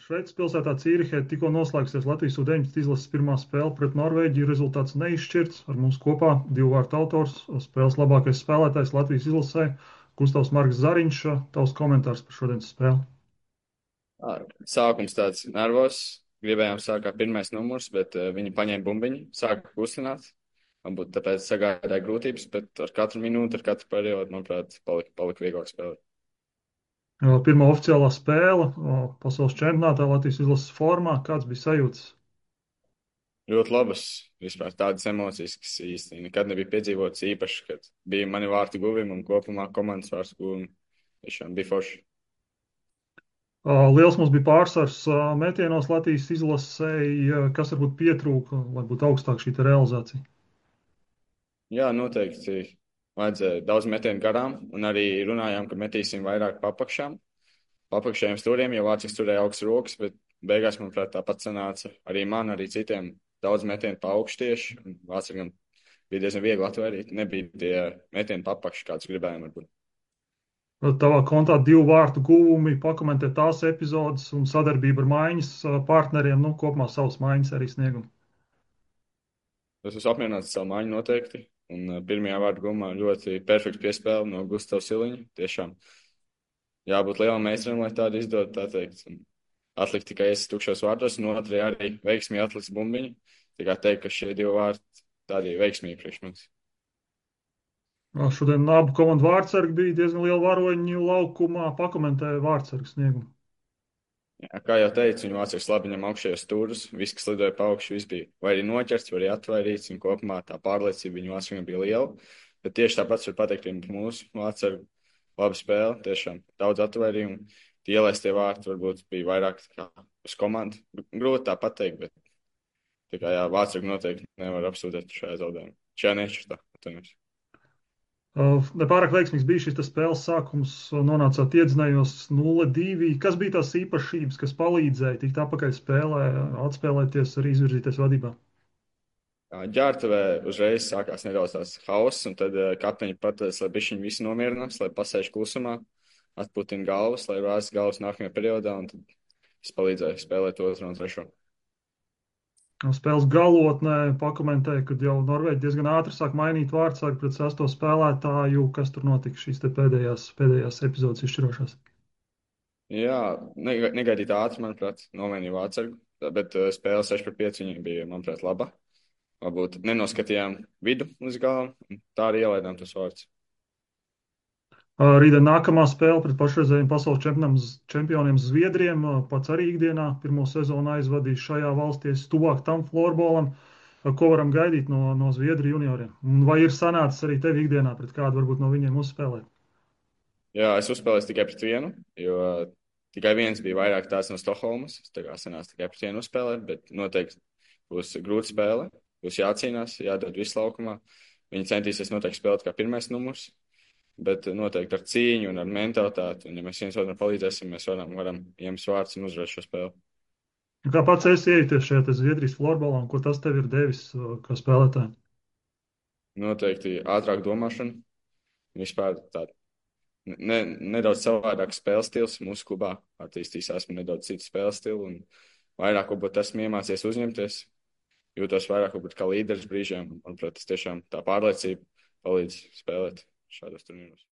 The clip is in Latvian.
Šveices pilsētā Cīrihē tikko noslēgsies Latvijas U-19 izlases pirmā spēle pret Norvēģiju. Rezultāts neizšķirts. Ar mums kopā divu vārtu autors, spēles labākais spēlētājs Latvijas izlasē Gustavs Marks Zariņš. Tavs komentārs par šodienas spēli. Sākums tāds nervos. Gribējām sākt kā pirmais numurs, bet viņi paņēma bumbiņu, sāka kustināt. Varbūt tāpēc sagādāja grūtības, bet ar katru minūti, ar katru periodu, manuprāt, palika vieglāk spēlēt. Pirmā oficiālā spēle pasaules čempionātā Latvijas izlases formā. Kāds bija sajūtas? Ļoti labas, vispār tādas emocijas, kas īsti nekad nebija piedzīvotas īpaši, kad bija mani vārtu guvumi un kopumā komandas vārtu guvumi. Tiešām bija forši. Liels mums bija pārsvars metienos Latvijas izlasē. Kas varbūt pietrūka, lai būtu augstāka šī realizācija? Jā, noteikti vajadzēja daudz metienu garām, un arī runājām, ka metīsim vairāk papakšām. Papakšējiem stūriem, jo Vācijas turēja augstas rokas, bet beigās, manuprāt, tāpat sanāca arī man, arī citiem daudz metienu pa augšu tieši. Vācijam bija diezgan viegli atvairīt, nebija tie metieni papakši, kāds gribējām varbūt. Tavā kontā divu vārtu guvumi, pakomentē tās epizodes un sadarbība ar maiņas partneriem, kopumā savas maiņas arī sniegumu. Es esmu apmierināts ar savu maiņu noteikti, un pirmajā vārtu gumā ļoti perfekta piespēle no Gustavs Siliņa. Tiešām jābūt lielam meistaram, lai tādu izdod, tā teikt. Un atlikt tikai es tukšos vārtos, un otrajā arī veiksmīgi atliks bumbiņu. Tikai teikt, ka šie divi vārti tādi veiksmīgi priekš mums. Šodien abu komandu vārdsargi bija diezgan liela varoņu laukumā, pakomentēja vārdsargu sniegumu. Jā, kā jau teicu, viņi vācieši labi ņem augšējos stūrus, viss, kas lidoja pa augšu, viss bija vai arī noķerts, vai arī atvairīts, un kopumā tā pārliecība viņu vācieši bija liela. Bet tieši tāpat var pateikt, ka mūsu vācieši labi spēle, tiešām daudz atvairījumu. Tie ielaistie vārti varbūt bija vairāk kā uz komandu. Grūti tā pateikt, bet tā kā jā, vācieši noteikti nevar apsūdzēt šajā zaudējumā. Šajā nešķirtā, atvainojos. Nepārāk veiksmīgs bija šis spēles sākums, nonācāt iedzinējos 0-2. Kas bija tās īpašības, kas palīdzēja tikt atpakaļ spēlē, atspēlēties, arī izvirzīties vadībā? Ģērbtuvē uzreiz sākās nedaudz tās hauss, un tad kapteiņi pateica, lai bišķiņi visi nomierinās, lai pasēž klusumā, atputina galvas, lai rāst galvas nākamajā periodā, un tad es palīdzēju spēlēt otru un trešo. Spēles galotnē pakomentēja, ka jau Norvēģi diezgan ātri sāk mainīt vārdsargu pret sesto spēlētāju. Kas tur notika šīs pēdējās epizodes izšķirošās? Jā, negaidīt ātri, manuprāt, nomainīja vārdsargu, bet spēle 6-5 viņiem bija, manuprāt, laba. Varbūt nenoskatījām vidu uz galam, un tā arī ielaidām tos vārdus. Rītdien nākamā spēle pret pašreizējiem pasaules čempioniem Zviedriem. Pats arī ikdienā pirmo sezonu aizvadījis šajā valstī, tuvāk tam florbolam. Ko varam gaidīt no Zviedru junioriem? Un vai ir sanācis arī tev ikdienā pret kādu varbūt no viņiem uzspēlēt? Jā, es uzspēlēju tikai pret vienu, jo tikai viens bija vairāk tās no Stokholmas. Tā kā sanāca tikai pret vienu uzspēlēt, bet noteikti būs grūta spēle. Būs jācīnās, jādod visu laukumā. Viņi centīsies noteikti spēlēt kā pirmais numurs. Bet noteikti ar cīņu un ar mentalitāti. Un, ja mēs viens otram palīdzēsim, mēs varam ieņemt vārdus un uzvarēt šo spēli. Kā pats esi iejuties šajā Zviedrijas florbolā un ko tas tev ir devis kā spēlētājiem? Noteikti ātrāk domāšana. Vispār tāda nedaudz savādāk spēles stils. Mūsu klubā attīstījās nedaudz citu spēles stilu. Un vairāk varbūt esmu iemācījies uzņemties. Jūtos vairāk varbūt kā līderis brīžiem. Manuprāt, tas tiešām tā pārliecība palīdz spēlēt šādos turnīros.